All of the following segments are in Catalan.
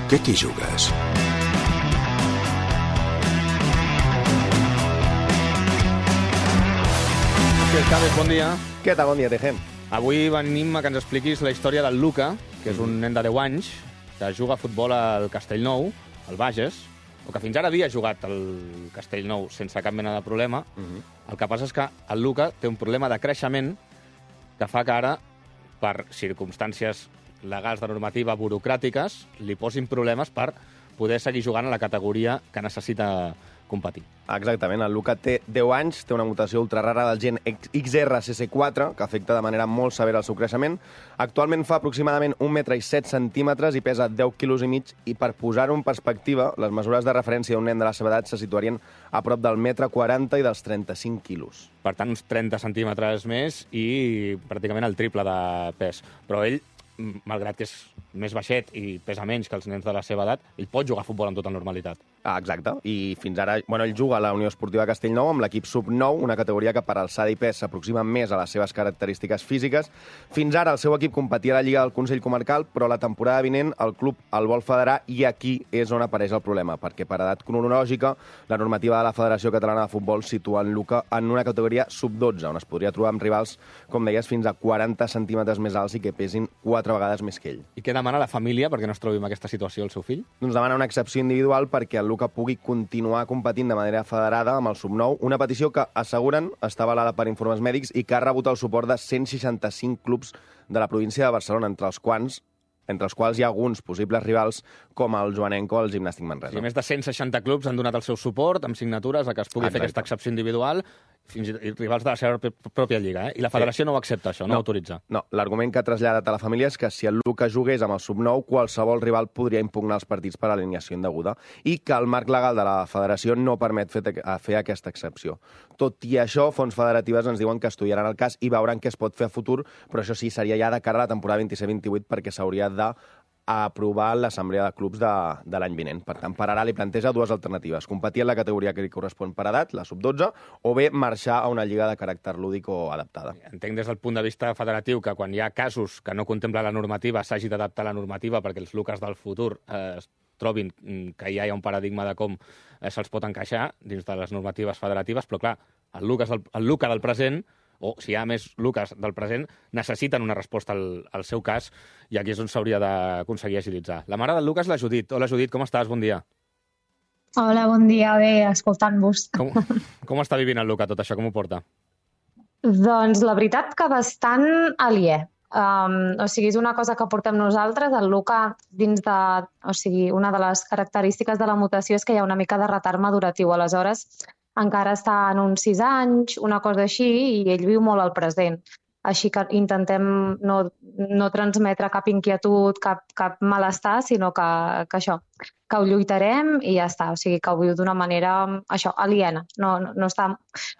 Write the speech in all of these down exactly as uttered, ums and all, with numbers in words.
Què t'hi jugues? Què tal, bon dia. Què tal, bon dia, Tejem? Avui venim a que ens expliquis la història del Luca, que és un nen de deu anys, que juga a futbol al Castellnou, al Bages, o que fins ara havia jugat al Castellnou sense cap mena de problema. Uh-huh. El que passa és que el Luca té un problema de creixement que fa que ara, per circumstàncies legals de normativa burocràtiques, li posin problemes per poder seguir jugant a la categoria que necessita competir. Exactament, el Luca té deu anys, té una mutació ultrarara del gen X R C C quatre, que afecta de manera molt severa el seu creixement. Actualment fa aproximadament un metre i set centímetres i pesa deu quilos i mig, i per posar-ho en perspectiva, les mesures de referència d'un nen de la seva edat se situarien a prop del metre quaranta i dels trenta-cinc quilos. Per tant, uns trenta centímetres més i pràcticament el triple de pes. Però ell, malgrat que és més baixet i pesa menys que els nens de la seva edat, ell pot jugar a futbol amb tota normalitat. Ah, exacte, i fins ara, bueno, ell juga a la Unió Esportiva Castellnou amb l'equip sub nou, una categoria que per alçada i pes s'aproxima més a les seves característiques físiques. Fins ara el seu equip competia a la Lliga del Consell Comarcal, però la temporada vinent el club el vol federar, i aquí és on apareix el problema, perquè per edat cronològica la normativa de la Federació Catalana de Futbol situa en Luca en una categoria sub dotze, on es podria trobar amb rivals, com deies, fins a quaranta centímetres més alts i que pesin quatre vegades més que ell. I què demana la família perquè no es trobi en aquesta situació el seu fill? Doncs demana una excepció individual perquè el Luca pugui continuar competint de manera federada amb el sub nou, una petició que, asseguren, està avalada per informes mèdics i que ha rebut el suport de cent seixanta-cinc clubs de la província de Barcelona, entre els quals entre els quals hi ha alguns possibles rivals com el Joanenco o el Gimnàstic Manresa. Sí, més de cent seixanta clubs han donat el seu suport amb signatures a que es pugui Exacte. fer aquesta excepció individual, fins i tot rivals de la seva pròpia lliga. Eh? I la federació sí. no ho accepta, això, no, no ho autoritza. No, l'argument que ha traslladat a la família és que si el Luca jugués amb el sub nou, qualsevol rival podria impugnar els partits per alineació indeguda, i que el marc legal de la federació no permet fer, fer aquesta excepció. Tot i això, fonts federatives ens diuen que estudiaran el cas i veuran què es pot fer a futur, però això sí, seria ja de cara a la temporada vint-i-set vint-i-vuit, perquè s'hauria de aprovar l'assemblea de clubs de, de l'any vinent. Per tant, per ara li planteja dues alternatives: competir en la categoria que li correspon per edat, la sub dotze, o bé marxar a una lliga de caràcter lúdic o adaptada. Entenc des del punt de vista federatiu que quan hi ha casos que no contempla la normativa s'hagi d'adaptar la normativa perquè els Lucas del futur eh, es trobin que ja hi ha un paradigma de com eh, se'ls pot encaixar dins de les normatives federatives, però clar, el, Lucas del, el Luca del present, o si hi ha més Lucas del present, necessiten una resposta al, al seu cas, i aquí és on s'hauria d'aconseguir agilitzar. La mare del Lucas, la Judit. Hola, Judit, com estàs? Bon dia. Hola, bon dia. Bé, escoltant-vos. Com, com està vivint el Luca tot això? Com ho porta? Doncs la veritat que bastant aliè. Um, o sigui, és una cosa que portem nosaltres. El Luca, dins de... O sigui, una de les característiques de la mutació és que hi ha una mica de retard maduratiu. Aleshores, encara està en uns sis anys, una cosa així, i ell viu molt al present. Així que intentem no, no transmetre cap inquietud, cap, cap malestar, sinó que, que això, que ho lluitarem i ja està. O sigui, que ho viu d'una manera, això, aliena. No, no, no, està,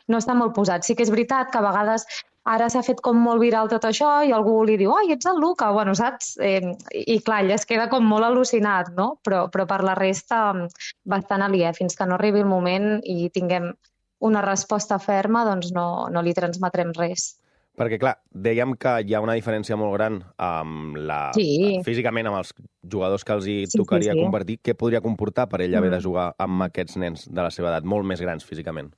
no està molt posat. Sí que és veritat que a vegades ara s'ha fet com molt viral tot això i algú li diu, ai, ets el Luca, bueno, saps? Eh, I clar, ell es queda com molt al·lucinat, no? Però, però per la resta, bastant aliè. Fins que no arribi el moment i tinguem una resposta ferma, doncs no, no li transmetrem res. Perquè, clar, dèiem que hi ha una diferència molt gran amb la... Sí. físicament amb els jugadors que els hi Sí, tocaria sí, sí. compartir. Què podria comportar per ell haver Mm. de jugar amb aquests nens de la seva edat, molt més grans físicament?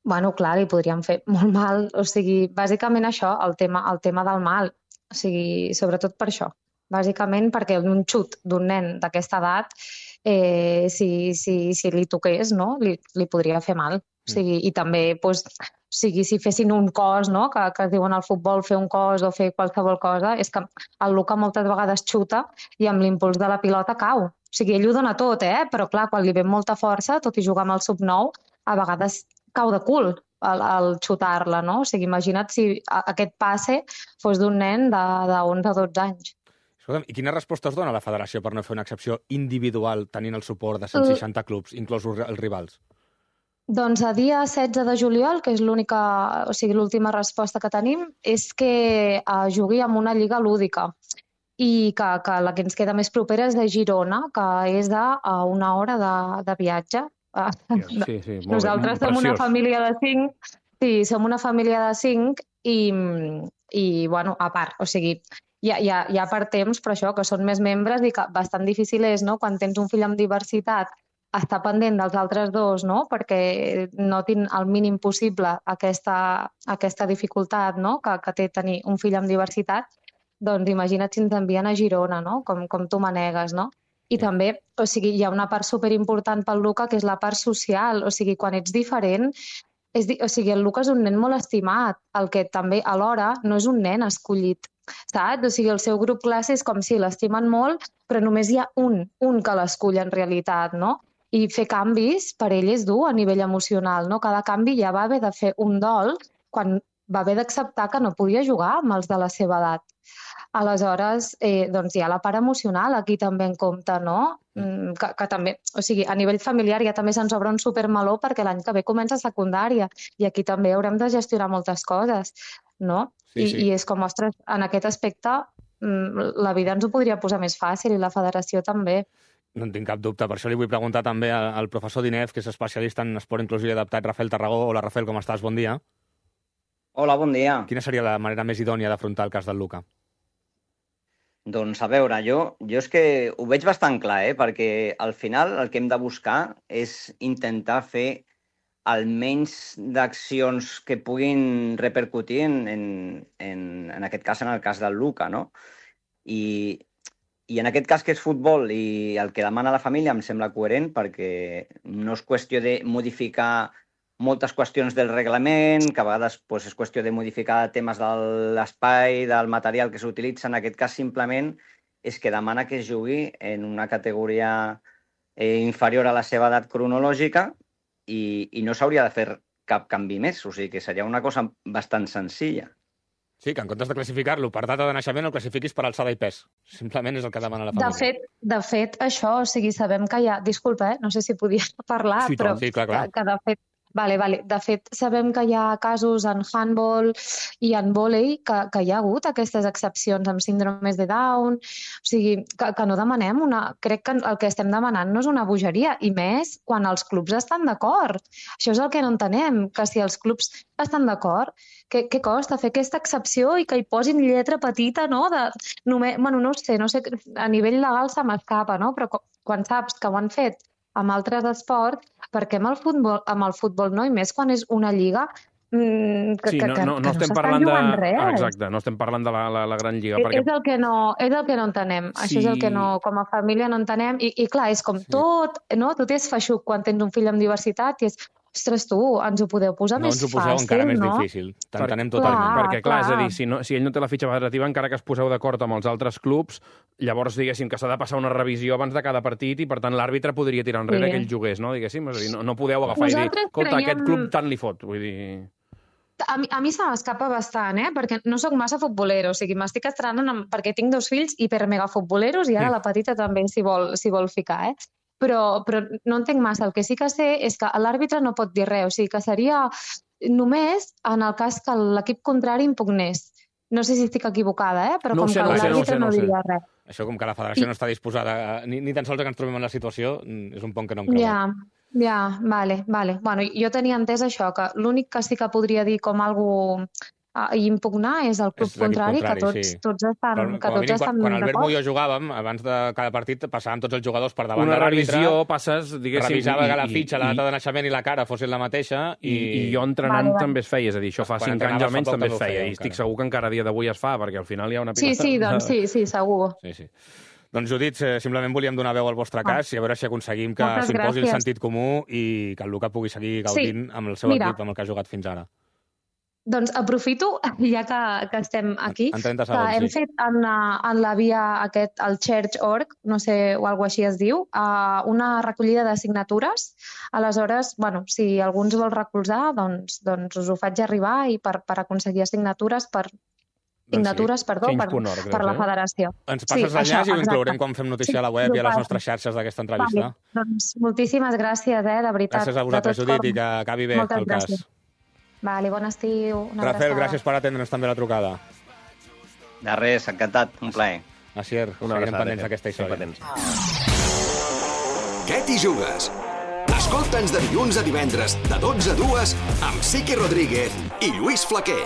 Bueno, clar, li podríem fer molt mal. O sigui, bàsicament això, el tema, el tema del mal. O sigui, sobretot per això. Bàsicament perquè un xut d'un nen d'aquesta edat, eh, si, si, si li toqués, no? li, li podria fer mal. O sigui, i també, doncs, o sigui, si fessin un cos, no? que, que es diuen al futbol fer un cos o fer qualsevol cosa, és que el Luca moltes vegades xuta i amb l'impuls de la pilota cau. O sigui, ell ho dona tot, eh? Però clar, quan li ve molta força, tot i jugar amb el sub nou, a vegades cau de cul al, al xutar-la, no? O sigui, imagina't si aquest passe fos d'un nen de, de onze o dotze anys. Escolta'm, i quina resposta us dona la federació per no fer una excepció individual tenint el suport de cent seixanta clubs, inclosos els rivals? Doncs a dia setze de juliol, que és l'única, o sigui, l'última resposta que tenim, és que eh, jugui amb una lliga lúdica i que, que la que ens queda més propera és de Girona, que és de a una hora de, de viatge. Sí, sí, molt Nosaltres bé, som una preciós. família de cinc, sí, som una família de cinc i, i bueno, a part, o sigui, ja, ja, ja per temps, però això, que són més membres i que bastant difícil és, no?, quan tens un fill amb diversitat, estar pendent dels altres dos, no?, perquè notin el mínim possible aquesta, aquesta dificultat, no?, que, que té tenir un fill amb diversitat, doncs imagina't si ens envien a Girona, no?, com, com tu manegues, no? I també, o sigui, hi ha una part superimportant pel Luca, que és la part social. O sigui, quan ets diferent, és di... o sigui, el Luca és un nen molt estimat, el que també, alhora, no és un nen escollit, saps? O sigui, el seu grup classe és com si l'estimen molt, però només hi ha un, un que l'escull en realitat, no? I fer canvis per ell és dur a nivell emocional, no? Cada canvi ja va haver de fer un dol quan va haver d'acceptar que no podia jugar amb els de la seva edat. Aleshores, eh, doncs hi ha la part emocional aquí també en compte, no? Mm, que, que també, o sigui, a nivell familiar ja també se'ns obre un supermeló perquè l'any que ve comença secundària i aquí també haurem de gestionar moltes coses, no? Sí, I, sí. I és com, ostres, en aquest aspecte mm, la vida ens ho podria posar més fàcil i la federació també. No en tinc cap dubte. Per això li vull preguntar també al, al professor Dinef, que és especialista en esport inclusiu i adaptat, Rafael Tarragó. Hola, Rafael, com estàs? Bon dia. Hola, bon dia. Quina seria la manera més idònia d'afrontar el cas del Luca? Doncs a veure, jo, jo és que ho veig bastant clar, eh? Perquè al final el que hem de buscar és intentar fer el menys d'accions que puguin repercutir en, en, en, en aquest cas, en el cas del Luca, no? I, I en aquest cas que és futbol i el que demana la família em sembla coherent perquè no és qüestió de modificar moltes qüestions del reglament, que a vegades doncs, és qüestió de modificar temes de l'espai, del material que s'utilitza. En aquest cas, simplement, és que demana que es jugui en una categoria eh, inferior a la seva edat cronològica i, i no s'hauria de fer cap canvi més. O sigui que seria una cosa bastant senzilla. Sí, que en comptes de classificar-lo per data de naixement, el classifiquis per alçada i pes. Simplement és el que demana la família. De fet, de fet això, o sigui, sabem que hi ha... Disculpa, eh? No sé si podia parlar, sí, però sí, clar, clar. Que, que de fet Vale, vale. De fet, sabem que hi ha casos en handball i en vòlei que, que hi ha hagut aquestes excepcions amb síndromes de Down. O sigui, que, que no demanem una... Crec que el que estem demanant no és una bogeria, i més quan els clubs estan d'acord. Això és el que no entenem, que si els clubs estan d'acord, què, què costa fer aquesta excepció i que hi posin lletra petita, no? De, només, bueno, no ho sé, no sé, a nivell legal se m'escapa, no? Però quan saps que ho han fet amb altres esports, perquè amb el futbol, amb el futbol no, i més quan és una lliga mm, que, sí, que, no, que, no, no que estem no parlant de... res. Exacte, no estem parlant de la, la, la gran lliga. És, perquè... és, el que no, és el que no entenem. Sí. Això és el que no, com a família no entenem. I, i clar, és com sí. tot, no? Tot és feixuc quan tens un fill amb diversitat i és, ostres, tu, ens ho podeu posar no més fàcil, no? fàcil, ens ho poseu encara no? més difícil. T'entenem Clar, totalment. Perquè, clar, clar. és a dir, si, no, si ell no té la fitxa federativa, encara que es poseu d'acord amb els altres clubs, llavors, diguéssim, que s'ha de passar una revisió abans de cada partit i, per tant, l'àrbitre podria tirar enrere Sí. que ell jugués, no? Diguéssim, és a dir, no, no podeu agafar Nosaltres i dir, escolta, creiem- aquest club tant li fot. Vull dir... A mi, a mi se m'escapa bastant, eh? Perquè no sóc massa futbolero, o sigui, m'estic estrenant amb, perquè tinc dos fills hiper-mega futboleros i ara la petita també s'hi vol, s'hi vol ficar, eh? Però, però no entenc massa. El que sí que sé és que l'àrbitre no pot dir res, o sigui, que seria només en el cas que l'equip contrari impugnés. No sé si estic equivocada, eh? Però No ho com sé, que no ho sé, no ho l'àrbitre sé, no no, ho sé. diria res. Això, com que la federació I- no està disposada, a- ni, ni tan sols que ens trobem en la situació, mm, és un pont que no em creu. Ja, ja, vale, vale. Bueno, jo tenia entès això, que l'únic que sí que podria dir com algú a impugnar és el club És l'equip contrari, contrari, que tots, sí. tots estan, Però, que com a tots mínim, estan quan, quan Albert d'acord. Muyo jugàvem, abans de cada partit passàvem tots els jugadors per davant Una de l'àrbitre, revisió passes, diguéssim... revisava i- que la i- fitxa, la i- data de naixement i la cara fossin la mateixa, I, i, I jo entrenant Vale, vale. també es feia, és a dir, això fa Quan cinc anys entrenaves almenys fa poc també es també ho feia, fèieu, i estic encara. segur que encara a dia d'avui es fa, perquè al final hi ha una Sí, pilota... sí, doncs sí, sí, segur. Sí, sí. Doncs, Judit, eh, simplement volíem donar veu al vostre cas i a veure si aconseguim que Moltes s'imposi el gràcies. sentit comú i que el Luca pugui seguir gaudint amb el seu Mira. equip, amb el que ha jugat fins ara. Doncs aprofito, ja que, que estem aquí, En trenta que segons, hem sí. fet en la, en la via aquest, el church punto org, no sé, o alguna així es diu, uh, una recollida de signatures. Aleshores, bueno, si algú ens vol recolzar, doncs, doncs us ho faig arribar i per, per aconseguir signatures per signatures, perdó, per, change punt org, per la deu ser. federació. Ens passes Sí, l'enllaç això, i ho inclourem exacte. quan fem notícia Sí, a la web i a ho les passo. nostres xarxes d'aquesta entrevista. Vale, doncs moltíssimes gràcies, eh, de veritat. Gràcies a vosaltres, de tot Judit, cor. i que acabi bé Moltes el cas. gràcies. Vale, bon estiu. Una Rafael, abraçada. gràcies per atendre'ns també la trucada. De res, encantat, un plaer. Asier, Una seguirem abraçada, pendents Fer. d'aquesta història. Pendents. Què t'hi jugues? Escolta'ns de dilluns a divendres, de dotze a dues, amb Siqui Rodríguez i Lluís Flaquer.